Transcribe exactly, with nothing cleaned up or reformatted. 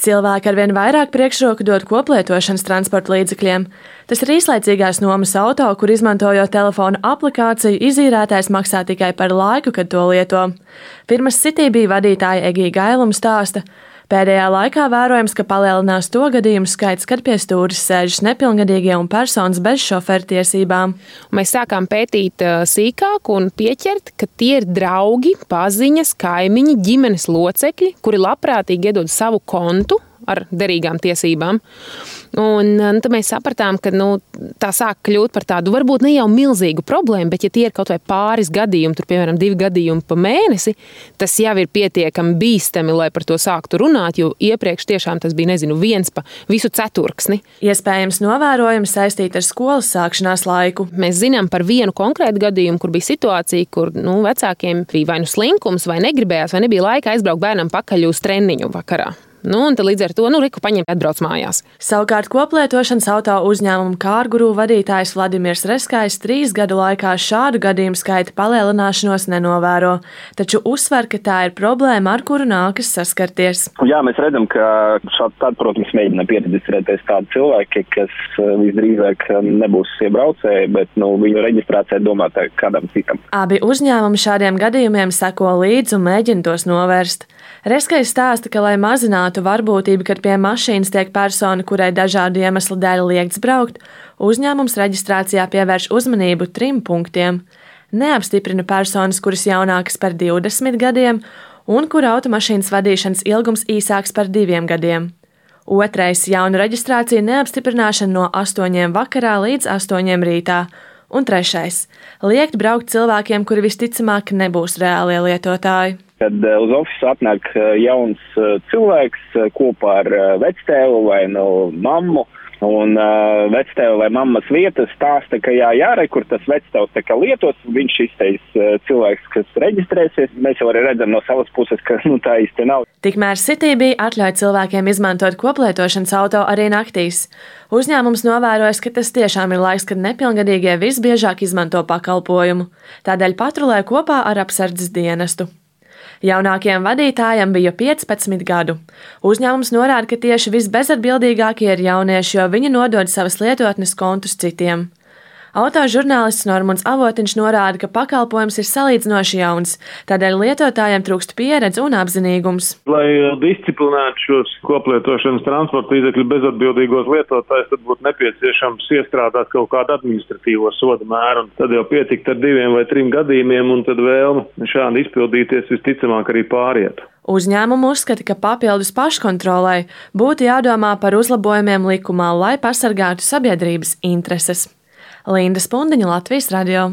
Cilvēki arvien vairāk priekšroku dod koplietošanas transporta līdzekļiem. Tas ir īslaicīgās nomas auto, kur izmantojot telefonu aplikāciju, izīrētājs maksā tikai par laiku, kad to lieto. Firmas City bija vadītāja Egija Gailuma stāsta. Pēdējā laikā vērojams, ka palielinās to gadījumu skaits, kad pie stūres sēžas nepilngadīgie un personas bez šoferu tiesībām. Mēs sākām pētīt sīkāk un pieķert, ka tie ir draugi, paziņas, kaimiņi, ģimenes locekļi, kuri labprātīgi iedod savu kontu ar derīgām tiesībām. Un, un tad mēs sapratām, ka nu, tā sāk kļūt par tādu varbūt ne jau milzīgu problēmu, bet ja tie ir kaut vai pāris gadījumi, tur piemēram divi gadījumi pa mēnesi, tas jau ir pietiekami bīstami, lai par to sāktu runāt, jo iepriekš tiešām tas bija, nezinu, viens pa visu ceturksni. Iespējams novērojumi saistīti ar skolas sākšanās laiku. Mēs zinām par vienu konkrētu gadījumu, kur bija situācija, kur nu, vecākiem bija vai nu slinkums, vai negribējās, vai nebija laika aizbraukt bērnam pakaļ uz treniņu vakarā. Nu, un tad līdz ar to, nu, Riku paņem atbrauc mājās. Savukārt koplietošanas auto uzņēmuma Kārguru vadītājs Vladimirs Reskājs trīs gadu laikā šādu gadījumu skaita palielināšanos nenovēro, taču uzsver, ka tā ir problēma, ar kuru nākas saskarties. Jā, mēs redzam, ka šādi tad, protams, mēģina pieregistrēties tādi cilvēki, kas visdrīzāk nebūs iebraucēji, bet, nu, viņu reģistrācija domāta kādam citam. Abi uzņēmumi šādiem gadījumiem seko līdzi un mēģina tos novērst. Reskājs stāsta, ka, lai mazinātu varbūtību, kad pie mašīnas tiek persona, kurai dažādu iemeslu dēļ liegts braukt, uzņēmums reģistrācijā pievērš uzmanību trim punktiem. Neapstiprina personas, kuras jaunākas par divdesmit gadiem un kura automašīnas vadīšanas ilgums īsāks par diviem gadiem. Otrais - jaunu reģistrāciju neapstiprināšana no astoņiem vakarā līdz astoņiem rītā. Un trešais - liegt braukt cilvēkiem, kuri visticamāk nebūs reālie lietotāji. Kad uz ofisu atnāk jauns cilvēks kopā ar vectēvu vai nu mammu, un uh, vectēva vai mammas vietas stāsta, ka jā, jāre, kur tas vectēvs tā kā lietos, viņš izteiks uh, cilvēks, kas reģistrēsies. Mēs jau arī redzam no savas puses, ka nu, tā īsti nav. Tikmēr City bija atļauj cilvēkiem izmantot koplietošanas auto arī naktīs. Uzņēmums novērojas, ka tas tiešām ir laiks, kad nepilngadīgie visbiežāk izmanto pakalpojumu. Tādēļ patrulē kopā ar apsardzes dienestu. Jaunākajam vadītājam bija piecpadsmit gadu. Uzņēmums norāda, ka tieši visbezatbildīgākie ir jaunieši, jo viņi nodod savas lietotnes kontus citiem. Autožurnālists Normunds Avotiņš norāda, ka pakalpojums ir salīdzinoši jauns, tādēļ lietotājiem trūkst pieredze un apzinīgums. Lai disciplinētu šos koplietošanas transporta līdzekļu bezatbildīgos lietotājus, tad būtu nepieciešams iestrādāt kaut kādu administratīvo soda mēru, un tad jau pietikt ar diviem vai trim gadījumiem, un tad vēlme šādi izpildīties visticamāk arī pāriet. Uzņēmumu uzskata, ka papildus paškontrolai būtu jādomā par uzlabojumiem likumā, lai pasargātu sabiedrības intereses. Linda Spundiņa, Latvijas radio.